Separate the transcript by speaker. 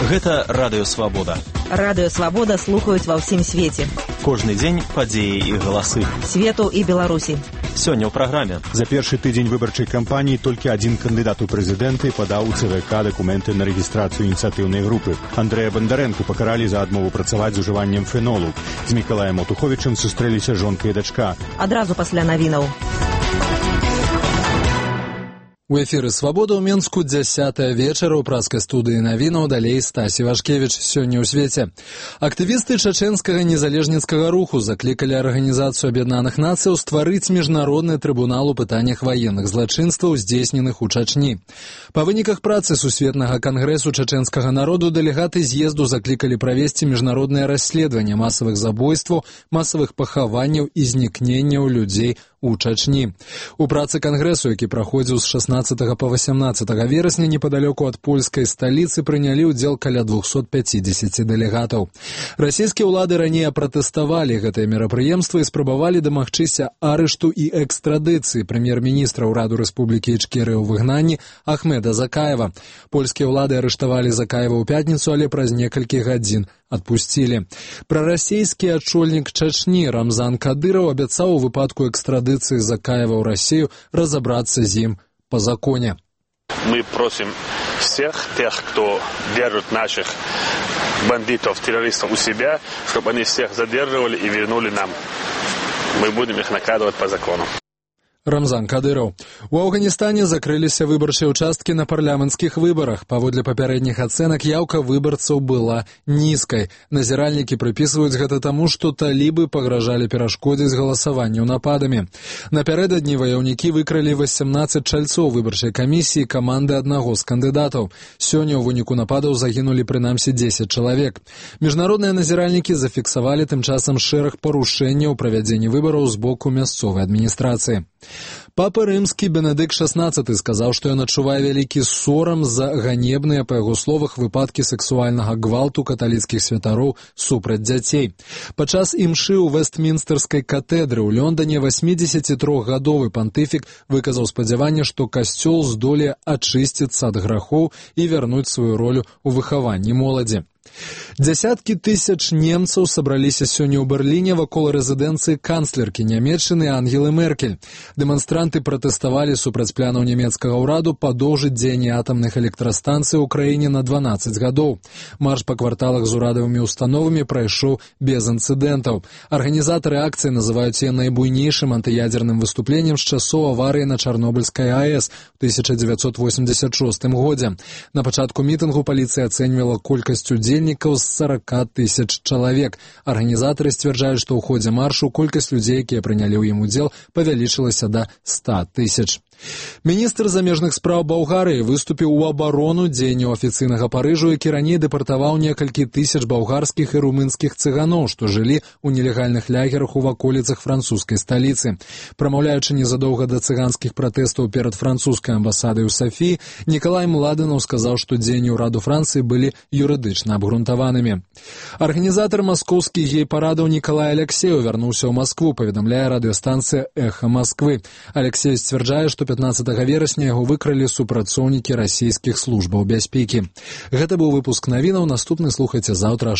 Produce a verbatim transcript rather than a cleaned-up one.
Speaker 1: Гэта Радыё Свабода.
Speaker 2: Радыё Свабода слухаюць ва ўсім свеце.
Speaker 1: Кожны дзень падзеі і галасы.
Speaker 2: Свету і Беларусі.
Speaker 1: Сёння ў праграме.
Speaker 3: За першы тыдзень выбарчай кампаніі толькі адзін кандыдат у прэзідэнты падаў у ЦВК дакументы на рэгістрацыю ініцыятыўнай групы. Андрэя Бандарэнку пакаралі за адмову працаваць з ужываннем фенолу. З Мікалаем Отуховічам сустрэліся жонка і дачка.
Speaker 2: Адразу пасля навінаў.
Speaker 4: У эфіры «Свабода» ў Менску дзясятая вечара ў праскай студыі навінаў, далей Стасі Вашкевіч. Сёння ў свеце. Актывісты чачэнскага незалежніцкага руху заклікалі Арганізацыю Аб'яднаных Нацыяў стварыць міжнародны трыбунал у пытаннях ваенных злачынстваў, здзейсненых у Чачні. Па выніках працы Сусветнага кангрэсу чачэнскага народу дэлегаты з'езду заклікалі правесці міжнароднае расследаванне масавых забойстваў, масавых пахаванняў і знікненняў людзей у Чачні. У працы кангрэсу, які праходзіў з шаснаццатага па васямнаццатага верасня непадалёку ад польскай сталіцы, прынялі ўдзел каля двухсот пяцідзесяці дэлегатаў. Расійскія ўлады раней пратэставалі гэтае мерапрыемства і спрабавалі дамагчыся арышту і экстрадыцыі прэм'ер-міністра ўраду Рэспублікі Ічкерыя ў выгнанні Ахмеда Закаева. Польскія ўлады арыштавалі Закаева ў пятніцу, але праз некалькі гадзін адпусцілі. Прарасійскі ачольнік Чачні Рамзан Кадыраў абяцаў у выпадку экстрадыцыі Закаева ў Расію разобраться з ім по законе.
Speaker 5: Мы просим всех тех, кто держит наших бандитов, террористов у себя, чтобы они всех задерживали и вернули нам. Мы будем их наказывать по закону.
Speaker 4: Рамзан Кадыраў. У Афганістане закрыліся выбарчыя ўчасткі на парламенцкіх выбарах. Паводле папярэдніх ацэнак, яўка выбарцаў была нізкай. Назіральнікі прыпісваюць гэта таму, што талібы пагражалі перашкодзіць галасаванню нападамі. Напярэдадні ваяўнікі выкралі васямнаццаць чальцоў выбарчай камісіі каманды аднаго з кандыдатаў. Сёння ў выніку нападаў загінулі прынамсі дзесяць чалавек. Міжнародныя назіральнікі зафіксавалі тым часам шэраг парушэнняў у правядзенні выбараў з боку мясцовай адміністрацыі. Папа рымскі Бенедыкт шаснаццаты сказаў, што ён адчувае вялікі сорам за ганебныя, па яго словах, выпадкі сексуальнага гвалту каталіцкіх святароў супраць дзяцей. Падчас імшы ў Вестмінстэрскай катэдры ў Лондане васьмідзесятітрохгадовы пантыфік выказаў спадзяванне, што касцёл здолее ачысціцца ад грахоў і вярнуць сваю ролю ў выхаванні моладзі. Дзясяткі тысяч немцаў сабраліся сёння ў Берліне вакол рэзідэнцыі канцлеркі Нямецчыны Ангелы Меркель. Дэманстранты пратэставалі супраць планаў нямецкага ўраду падоўжыць дзеянне атамных электрастанцый ў краіне на дванаццаць гадоў. Марш па кварталах з урадавымі установамі прайшоў без інцыдэнтаў. Арганізатары акцыі называюць яе найбуйнейшым антыядзерным выступленнем з часоў аварыі на Чарнобыльскай АЭС у тысяча дзевяцьсот восемьдесят шостым годзе. На пачатку мітынгу паліцыя ацэньвала колькасць удзельнікаў з сорока тысяч чалавек. Арганізатары сцвярджаюць, што ў ходзе маршу колькасць людзей, якія прынялі ў ім удзел, павялічылася да ста тысяч. Міністр замежных спраў Балгарыі выступіў у абарону дзеянняў афіцыйнага Парыжу, які раней дэпартаваў некалькі тысяч балгарскіх і румынскіх цыганоў, што жылі ў нелегальных лагерах у ваколіцах французскай сталіцы. Прамаўляючы незадоўга да цыганскіх пратэстаў перад французскай амбасадай у Сафіі, Нікалай Младэнаў сказаў, што дзеянні ўраду Францыі былі юрыдычна абгрунтаванымі. Арганізатар маскоўскіх гей-парадаў Нікалай Алексеев вярнуўся ў Маскву, паведамляе радыёстанцыя «Эхо Масквы». Алексеев сцвярджае, што пятнаццатага верасня яго выкралі супрацоўнікі расійскіх службаў бяспекі. Гэта быў выпуск навінаў, наступны слухайце заўтра.